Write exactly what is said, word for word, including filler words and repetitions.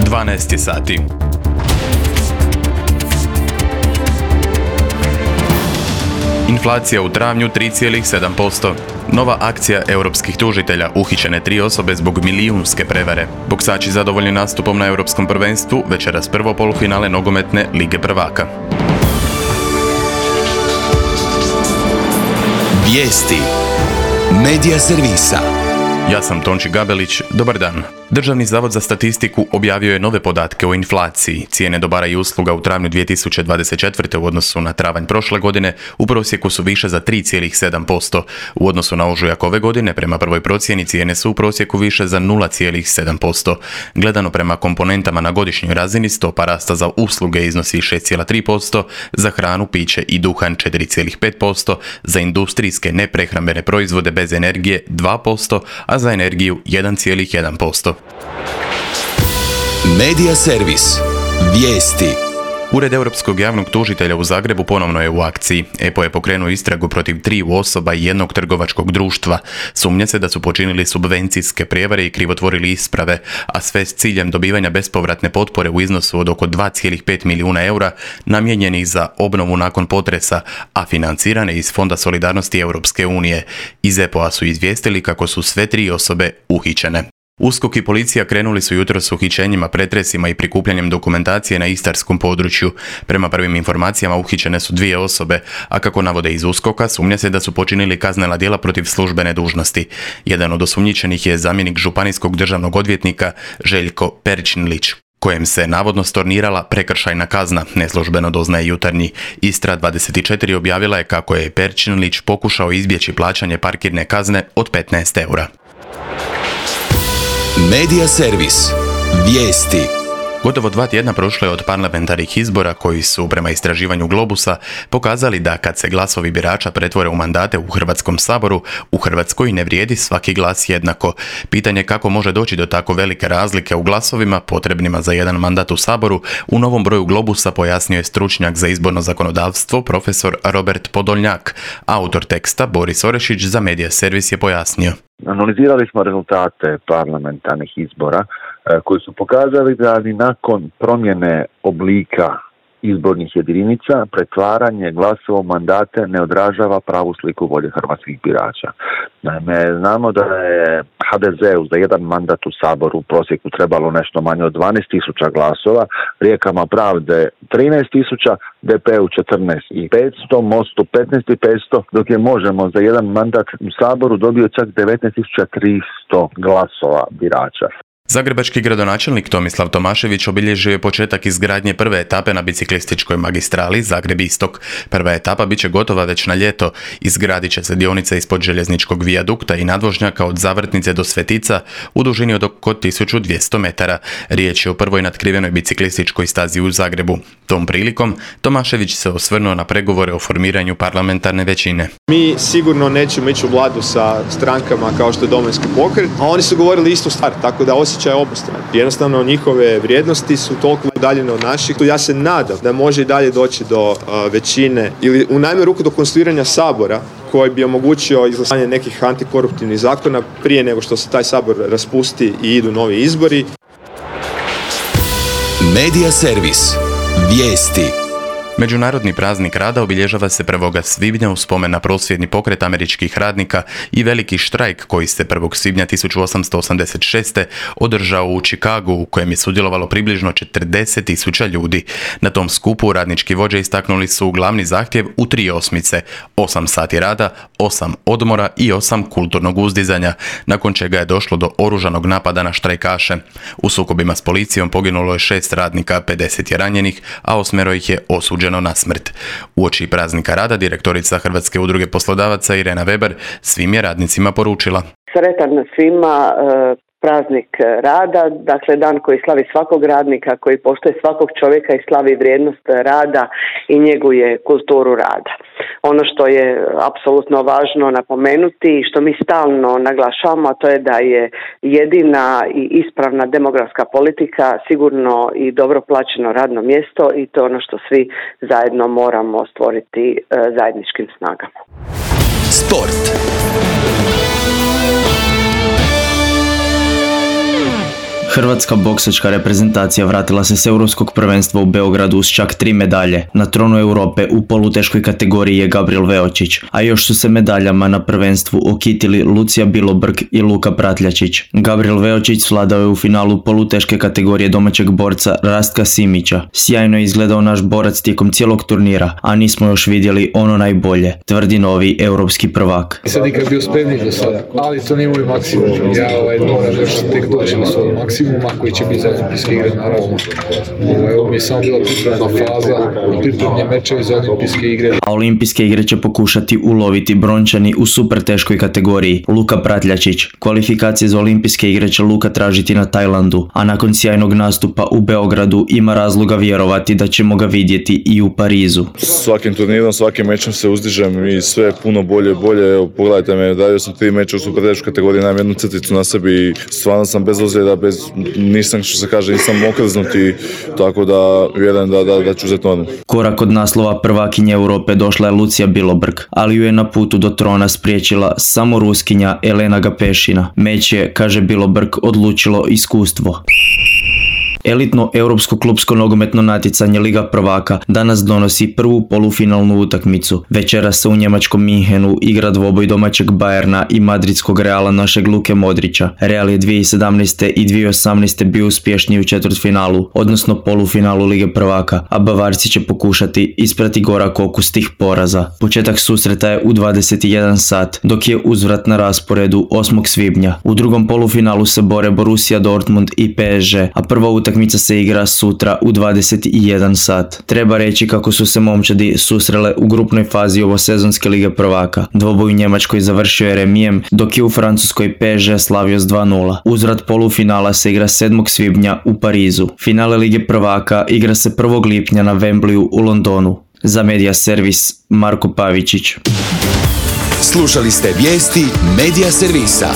dvanaest je sati. Inflacija u travnju tri zarez sedam posto. Nova akcija europskih tužitelja, uhićene tri osobe zbog milijunske prevare. Boksači zadovoljni nastupom na europskom prvenstvu, večeras prvo polufinale nogometne Lige prvaka. Vijesti Medija servisa. Ja sam Tonči Gabelić, dobar dan. Državni zavod za statistiku objavio je nove podatke o inflaciji. Cijene dobara i usluga u travnju dvije tisuće dvadeset četvrte. u odnosu na travanj prošle godine u prosjeku su više za tri zarez sedam posto. U odnosu na ožujak ove godine, prema prvoj procjeni, cijene su u prosjeku više za nula zarez sedam posto. Gledano prema komponentama na godišnjoj razini, stopa rasta za usluge iznosi šest zarez tri posto, za hranu, piće i duhan četiri zarez pet posto, za industrijske neprehrambene proizvode bez energije dva posto, a za energiju jedan zarez jedan posto. Medija servis. Vijesti. Ured Europskog javnog tužitelja u Zagrebu ponovno je u akciji. E P O je pokrenuo istragu protiv triju osoba i jednog trgovačkog društva. Sumnja se da su počinili subvencijske prijevare i krivotvorili isprave, a sve s ciljem dobivanja bespovratne potpore u iznosu od oko dva zarez pet milijuna eura namijenjenih za obnovu nakon potresa, a financirane iz Fonda solidarnosti Europske unije. Iz E P O-a su izvijestili kako su sve tri osobe uhićene. USKOK i policija krenuli su jutros s uhićenjima, pretresima i prikupljanjem dokumentacije na istarskom području. Prema prvim informacijama uhićene su dvije osobe, a kako navode iz USKOK-a, sumnja se da su počinili kaznena djela protiv službene dužnosti. Jedan od osumnjičenih je zamjenik županijskog državnog odvjetnika Željko Perčinlić, kojem se navodno stornirala prekršajna kazna, neslužbeno doznaje Jutarnji. Istra dvadeset četiri objavila je kako je Perčinlić pokušao izbjeći plaćanje parkirne kazne od petnaest eura. Medija servis. Vijesti. Gotovo dva tjedna prošle od parlamentarnih izbora koji su, prema istraživanju Globusa, pokazali da kad se glasovi birača pretvore u mandate u Hrvatskom saboru, u Hrvatskoj ne vrijedi svaki glas jednako. Pitanje kako može doći do tako velike razlike u glasovima potrebnima za jedan mandat u saboru, u novom broju Globusa pojasnio je stručnjak za izborno zakonodavstvo profesor Robert Podoljnjak. Autor teksta Boris Orešić za Medija servis je pojasnio. Analizirali smo rezultate parlamentarnih izbora koji su pokazali da ni nakon promjene oblika izbornih jedinica pretvaranje glasova u mandate ne odražava pravu sliku volje hrvatskih birača. Naime, znamo da je ha de zeu za jedan mandat u Saboru u prosjeku trebalo nešto manje od dvanaest tisuća glasova, Rijekama pravde trinaest tisuća, de pe u četrnaest tisuća petsto, Mostu petnaest tisuća petsto, dok je Možemo za jedan mandat u Saboru dobio čak devetnaest tisuća tristo glasova birača. Zagrebački gradonačelnik Tomislav Tomašević obilježio je početak izgradnje prve etape na biciklističkoj magistrali Zagreb-Istok. Prva etapa bit će gotova već na ljeto. Izgradit će se dionica ispod željezničkog vijadukta i nadvožnjaka od Zavrtnice do Svetica u dužini od oko tisuću dvjesto metara. Riječ je o prvoj natkrivenoj biciklističkoj stazi u Zagrebu. Tom prilikom Tomašević se osvrnuo na pregovore o formiranju parlamentarne većine. Mi sigurno nećemo ići u vladu sa strankama kao što je Domovinski pokret, a oni su govorili istu stvar, tako da osjećaj obostrani. Jednostavno njihove vrijednosti su toliko udaljene od naših. Ja se nadam da može i dalje doći do uh, većine ili u najmanju ruku do konstituiranja sabora koji bi omogućio izglasanje nekih antikoruptivnih zakona prije nego što se taj sabor raspusti i idu novi izbori. Medija servis. Vijesti. Međunarodni praznik rada obilježava se prvog svibnja u spomen na prosvjedni pokret američkih radnika i veliki štrajk koji se prvog svibnja tisuću osamsto osamdeset šeste. održao u Chicagu, u kojem je sudjelovalo približno četrdeset tisuća ljudi. Na tom skupu radnički vođe istaknuli su glavni zahtjev u tri osmice, osam sati rada, osam odmora i osam kulturnog uzdizanja, nakon čega je došlo do oružanog napada na štrajkaše. U sukobima s policijom poginulo je šest radnika, pedeset je ranjenih, a osmero ih je osuđeno na smrt. Uoči praznika rada direktorica Hrvatske udruge poslodavaca Irena Weber svim je radnicima poručila: Sretan svima praznik rada, dakle dan koji slavi svakog radnika, koji poštuje svakog čovjeka i slavi vrijednost rada i njeguje kulturu rada. Ono što je apsolutno važno napomenuti i što mi stalno naglašavamo, a to je da je jedina i ispravna demografska politika sigurno i dobro plaćeno radno mjesto i to je ono što svi zajedno moramo stvoriti e, zajedničkim snagama. Hrvatska boksačka reprezentacija vratila se s europskog prvenstva u Beogradu s čak tri medalje. Na tronu Europe u poluteškoj kategoriji je Gabriel Veočić, a još su se medaljama na prvenstvu okitili Lucija Bilobrg i Luka Pratljačić. Gabriel Veočić svladao je u finalu poluteške kategorije domaćeg borca Rastka Simića. Sjajno je izgledao naš borac tijekom cijelog turnira, a nismo još vidjeli ono najbolje, tvrdi novi europski prvak. Sad nikad bio spremni do sada, ali to nije moj maksimum. Ja ovaj, moram još tek doći na svoj maksimuma koji će biti za olimpijske igre, naravno. Ovo mi je samo bila pripremna faza, pripremni mečevi za olimpijske igre. A olimpijske igre će pokušati uloviti brončani u super teškoj kategoriji Luka Pratljačić. Kvalifikacije za olimpijske igre će Luka tražiti na Tajlandu, a nakon sjajnog nastupa u Beogradu ima razloga vjerovati da ćemo ga vidjeti i u Parizu. Svakim turnirom, svakim mečem se uzdižem i sve puno bolje i bolje. Evo, pogledajte me, dario sam tri meča u super teškoj kategoriji, imam jednu crticu na sebi i stvarno sam bez ozljeda, bez, nisam, što se kaže, nisam okrznuti, tako da vjerujem da, da, da ću uzeti normu. Korak od naslova prvakinje Europe došla je Lucija Bilobrg, ali ju je na putu do trona spriječila samo Ruskinja Elena Gapešina. Meč je, kaže Bilobrg, odlučilo iskustvo. Elitno europsko klupsko nogometno natjecanje Liga prvaka danas donosi prvu polufinalnu utakmicu. Večeras se u njemačkom Minhenu igra dvoboj domaćeg Bayerna i madridskog Reala našeg Luke Modrića. Real je dvije tisuće sedamnaeste i dvije tisuće osamnaeste bio uspješniji u četvrtfinalu, odnosno polufinalu Lige prvaka, a Bavarci će pokušati isprati gorak okus tih poraza. Početak susreta je u dvadeset jedan sat, dok je uzvrat na rasporedu osmog svibnja. U drugom polufinalu se bore Borussia Dortmund i P S G, a prva utakmica Utakmica se igra sutra u dvadeset jedan sat. Treba reći kako su se momčadi susrele u grupnoj fazi ovosezonske Lige prvaka. Dvoboj u Njemačkoj završio je remijem, dok je u Francuskoj P S G slavio s dva nula. Uzvrat polufinala se igra sedmog svibnja u Parizu. Finale Lige prvaka igra se prvog lipnja na Wembleyu u Londonu. Za Media Servis, Marko Pavičić. Slušali ste vijesti Media Servisa.